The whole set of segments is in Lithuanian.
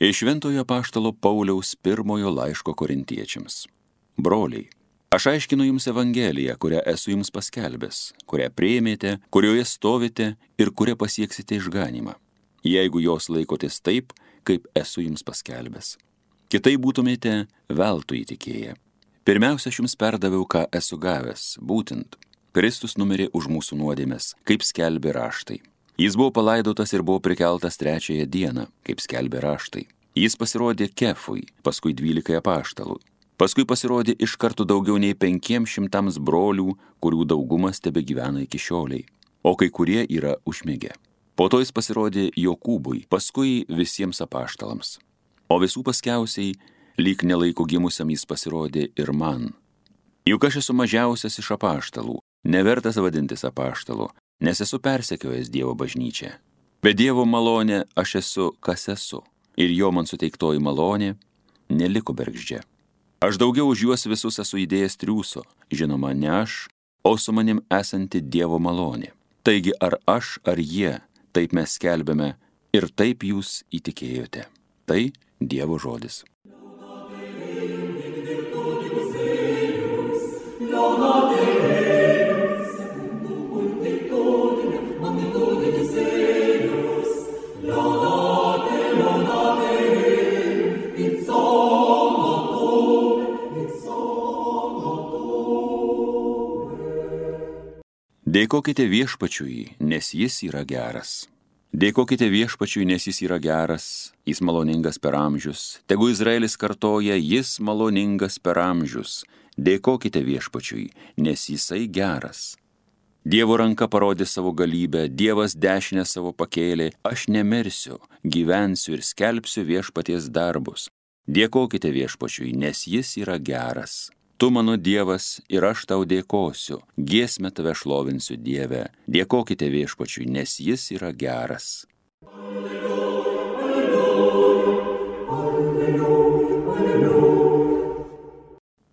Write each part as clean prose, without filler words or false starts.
Iš Šventojo apaštalo Pauliaus pirmojo laiško korintiečiams. Broliai, aš aiškinu jums Evangeliją, kurią esu jums paskelbęs, kurią priėmėte, kurioje stovite ir kurią pasieksite išganymą, jeigu jos laikotės taip, kaip esu jums paskelbęs. Kitaip būtumėte veltui įtikėję. Pirmiausia, aš jums perdaviau, ką esu gavęs, būtent Kristus numirė už mūsų nuodėmes, kaip skelbė raštai. Jis buvo palaidotas ir buvo prikeltas 3 dieną, kaip skelbė raštai. Jis pasirodė Kefui, paskui 12 apaštalų. Paskui pasirodė iš karto daugiau nei 500 brolių, kurių daugumas tebegyvena iki šioliai, o kai kurie yra užmigę. Po to jis pasirodė Jokūbui, paskui visiems apaštalams. O visų paskiausiai, lyg nelaiko gimusiam jis pasirodė ir man. Juk aš esu mažiausias iš apaštalų, nevertas vadintis apaštalu, nes esu persekiojęs Dievo bažnyčią. Be Dievo malonė aš esu, kas esu, ir jo man suteiktoji malonė neliko bergždžia. Aš daugiau už juos visus esu įdėjęs triūso, žinoma, ne aš, o su manim esanti Dievo malonė. Taigi ar aš, ar jie, taip mes skelbėme ir taip jūs įtikėjote. Tai Dievo žodis. Dėkokite viešpačiui, nes jis yra geras. Dėkokite viešpačiui, nes jis yra geras, jis maloningas per amžius. Tegu Izraelis kartoja, jis maloningas per amžius. Dėkokite viešpačiui, nes jisai geras. Dievo ranka parodė savo galybę, Dievas dešinę savo pakėlė, aš nemirsiu, gyvensiu ir skelbsiu viešpaties darbus. Dėkokite viešpačiui, nes jis yra geras. Tu mano Dievas ir aš tau dėkosiu, giesmę tave šlovinsiu Dieve. Dėkokite viešpačiui, nes jis yra geras.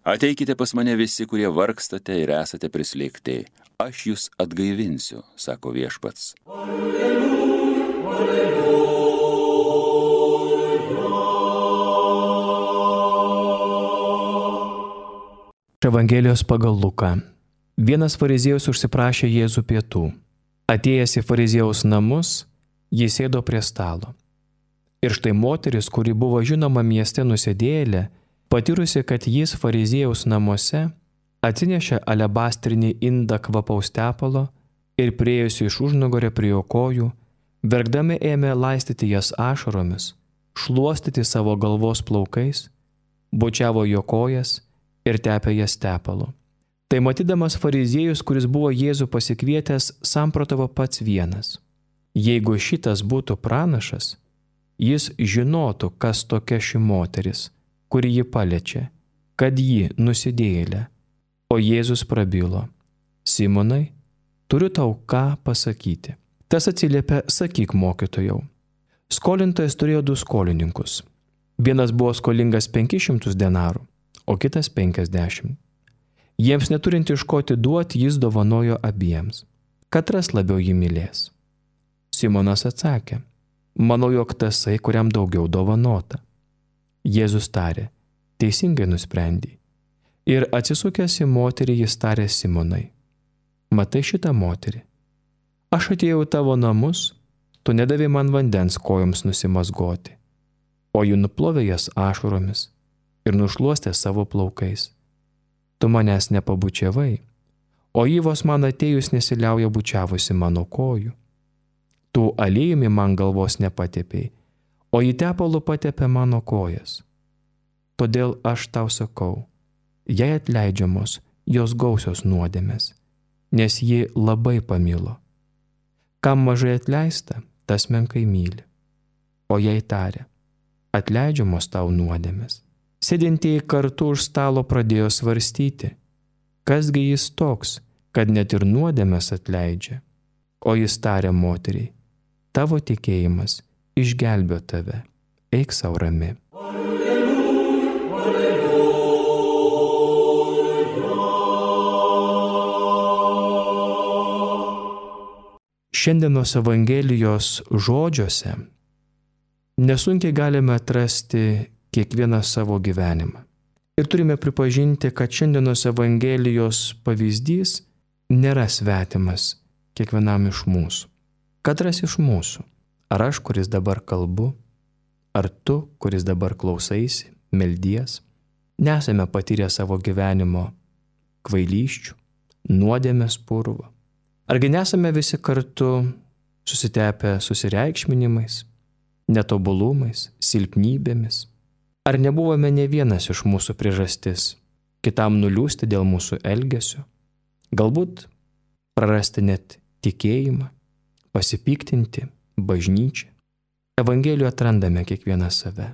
Ateikite pas mane visi, kurie vargstate ir esate prislėgti. Aš jūs atgaivinsiu, sako viešpats. Evangelijos pagal Luką. Vienas fariziejus užsiprašė Jėzų pietų. Atėjęs į fariziejaus namus, jis sėdo prie stalo. Ir štai moteris, kuri buvo žinoma mieste nusidėjėlė, patyrusi, kad jis fariziejaus namuose, atsinešė alebastrinį indą kvapaus tepalo ir priėjusi iš užnugario prie jo kojų, verkdami ėmė laistyti jas ašaromis, šluostyti savo galvos plaukais, bučiavo jo kojas ir tepė jas tepalu. Tai matydamas fariziejus, kuris buvo Jėzų pasikvietęs, samprotavo pats vienas. Jeigu šitas būtų pranašas, jis žinotų, kas tokia ši moteris, kuri jį paliečia, kad ji nusidėjėlė. O Jėzus prabilo, Simonai, turiu tau ką pasakyti. Tas atsiliepė, sakyk mokytojau. Skolintojas turėjo 2 skolininkus. Vienas buvo skolingas 500 denarų, o kitas 50. Jiems neturint iš ko atiduoti, jis dovanojo abiems. Katras labiau jį mylės? Simonas atsakė, manau, jog tasai, kuriam daugiau dovanota. Jėzus tarė, teisingai nusprendei. Ir atsisukęs į moterį, jis tarė Simonai, matai šitą moterį? Aš atėjau į tavo namus, tu nedavei man vandens kojoms nusimazgoti, o ji nuplovė jas ašaromis ir nušluostė savo plaukais. Tu manęs nepabučiavai, o ji vos man atėjus nesiliauja bučiavusi mano kojų. Tu aliejumi man galvos nepatepei, o ji tepalu patepė mano kojas. Todėl aš tau sakau, jai atleidžiamos jos gausios nuodėmės, nes ji labai pamilo. Kam mažai atleista, tas menkai myli. O jai tarė, atleidžiamos tau nuodėmės. Sėdintieji kartu už stalo pradėjo svarstyti, kasgi jis toks, kad net ir nuodėmės atleidžia. O jis tarė moteriai, tavo tikėjimas išgelbėjo tave, eik sau rami. Šiandienos Evangelijos žodžiuose nesunkiai galime atrasti kiekvieną savo gyvenimą. Ir turime pripažinti, kad šiandienos Evangelijos pavyzdys nėra svetimas kiekvienam iš mūsų. Katras iš mūsų, ar aš, kuris dabar kalbu, ar tu, kuris dabar klausaisi, meldies, nesame patyrę savo gyvenimo kvailysčių, nuodėmės purvo. Argi nesame visi kartu susitepę susireikšminimais, netobulumais, silpnybėmis? Ar nebuvome ne vienas iš mūsų priežastis kitam nuliūsti dėl mūsų elgesio? Galbūt prarasti net tikėjimą, pasipiktinti bažnyčią. Evangelijoje atrandame kiekvieną save.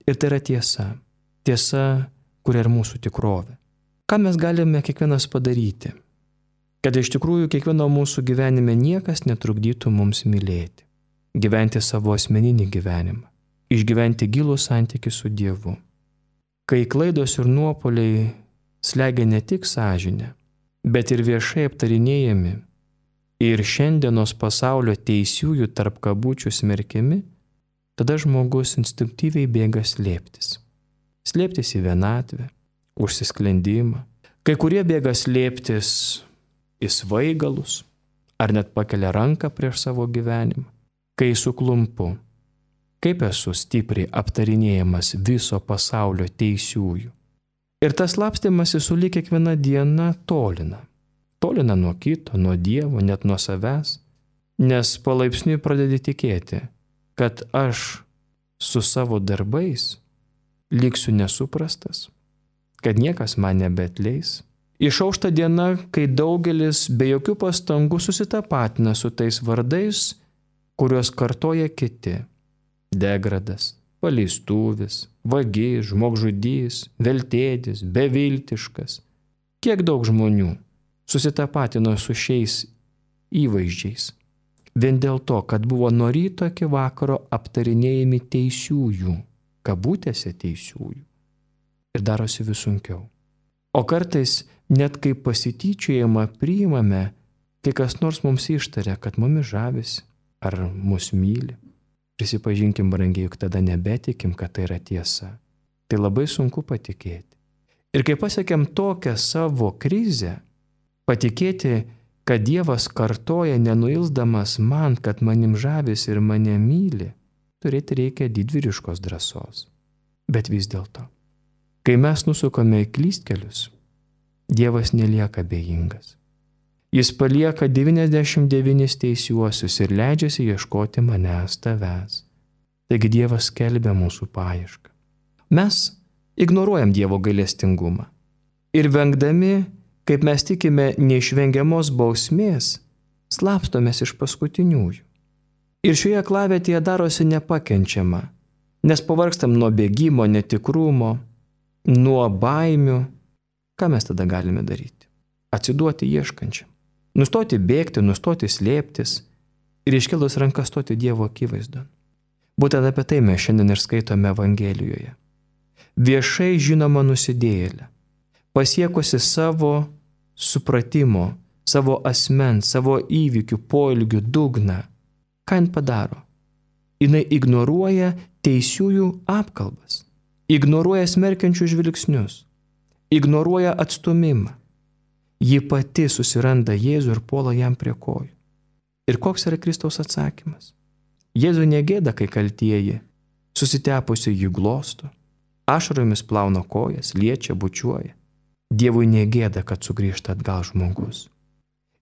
Ir tai yra tiesa. Tiesa, kuri yra mūsų tikrovė. Ką mes galime kiekvienas padaryti, kad iš tikrųjų kiekvieno mūsų gyvenime niekas netrukdytų mums mylėti, gyventi savo asmeninį gyvenimą, išgyventi gilų santykį su Dievu. Kai klaidos ir nuopuoliai slegia ne tik sąžinę, bet ir viešai aptarinėjami ir šiandienos pasaulio teisiųjų tarp kabučių smerkiami, tada žmogus instinktyviai bėga slėptis. Slėptis į vienatvę, užsisklendimą. Kai kurie bėga slėptis į svaigalus, ar net pakelia ranką prieš savo gyvenimą. Kai suklumpu, kaip esu stipriai aptarinėjamas viso pasaulio teisiųjų. Ir tas slapstymasis sulig kiekviena diena tolina. Tolina nuo kito, nuo Dievo, net nuo savęs, nes palaipsniui pradedi tikėti, kad aš su savo darbais liksiu nesuprastas, kad niekas man nebeatleis. Išaušta diena, kai daugelis be jokių pastangų susitapatina su tais vardais, kuriuos kartoja kiti. Degradas, paleistuvis, vagis, žmogžudys, veltėdis, beviltiškas. Kiek daug žmonių susitapatino su šiais įvaizdžiais. Vien dėl to, kad buvo nuo ryto iki vakaro aptarinėjami teisiųjų, kabutėse teisiųjų. Ir darosi vis sunkiau. O kartais net kai pasityčiojama priimame, kai kas nors mums ištaria, kad mumis žavisi ar mus myli. Prisipažinkim, brangiai, juk tada nebetikim, kad tai yra tiesa. Tai labai sunku patikėti. Ir kai pasiekėm tokią savo krizę, patikėti, kad Dievas kartoja nenuilsdamas man, kad manim žavisi ir mane myli, turėti reikia didvyriškos drąsos. Bet vis dėlto, kai mes nusukame į klystkelius, Dievas nelieka abejingas. Jis palieka 99 teisiuosius ir leidžiasi ieškoti manęs, tavęs. Taigi Dievas skelbia mūsų paiešką. Mes ignoruojam Dievo gailestingumą. Ir vengdami, kaip mes tikime, neišvengiamos bausmės, slapstomės iš paskutiniųjų. Ir šioje klavietėje darosi nepakenčiama, nes pavargstam nuo bėgimo, netikrumo, nuo baimių. Ką mes tada galime daryti? Atsiduoti ieškančiam. Nustoti bėgti, nustoti slėptis ir iškelus rankas stoti Dievo akivaizdon. Būtent apie tai mes šiandien ir skaitome Evangelijoje. Viešai žinoma nusidėjėlė, pasiekusi savo supratimo, savo asmens, savo įvykių, poelgių dugną. Ką jin padaro? Jinai ignoruoja teisiųjų apkalbas, ignoruoja smerkiančių žvilgsnius, ignoruoja atstumimą. Ji pati susiranda Jėzų ir puola jam prie kojų. Ir koks yra Kristaus atsakymas? Jėzų negėda, kai kaltieji, susitepusi jį glosto, ašaromis plauna kojas, liečia, bučiuoja. Dievui negėda, kad sugrįžta atgal žmogus.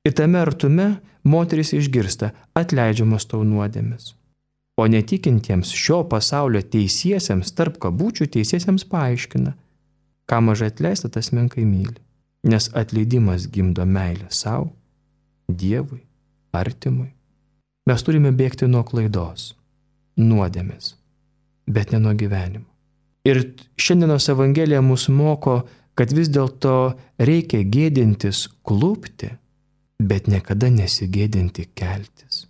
Ir tame artume moteris išgirsta atleidžiamas tau nuodėmes. O netikintiems šio pasaulio teisiesiems, tarp kabučių teisiesiems paaiškina, ką mažai atleista, tas menkai myli. Nes atleidimas gimdo meilę savo, Dievui, artimui. Mes turime bėgti nuo klaidos, nuodėmės, bet ne nuo gyvenimo. Ir šiandienos Evangelija mus moko, kad vis dėlto reikia gėdintis klupti, bet niekada nesigėdinti keltis.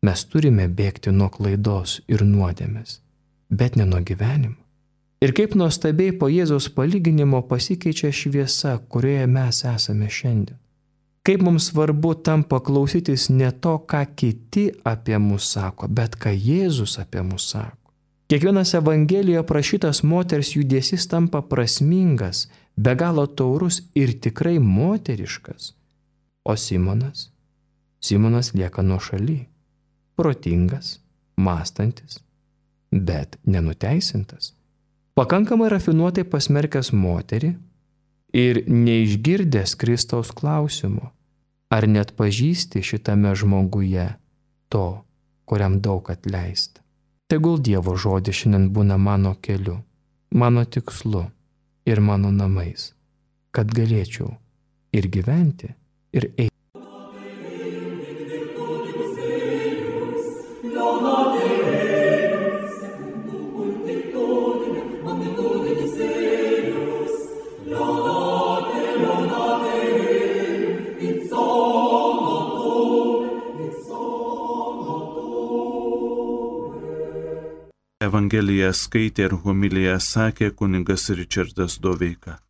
Mes turime bėgti nuo klaidos ir nuodėmės, bet ne nuo gyvenimo. Ir kaip nuostabiai po Jėzaus palyginimo pasikeičia šviesa, kurioje mes esame šiandien. Kaip mums svarbu tampa klausytis ne to, ką kiti apie mus sako, bet ką Jėzus apie mus sako. Kiekvienas Evangelijoje aprašytas moters judesys tampa prasmingas, be galo taurus ir tikrai moteriškas. O Simonas lieka nuošaly, protingas, mąstantis, bet nenuteisintas, pakankamai rafinuotai pasmerkęs moterį ir neišgirdęs Kristaus klausimo, ar net pažįsti šitame žmoguje to, kuriam daug atleista. Tegul Dievo žodis šiandien būna mano keliu, mano tikslu ir mano namais, kad galėčiau ir gyventi, ir eiti. Evangeliją skaitė ir homiliją sakė kunigas Ričardas Doveika.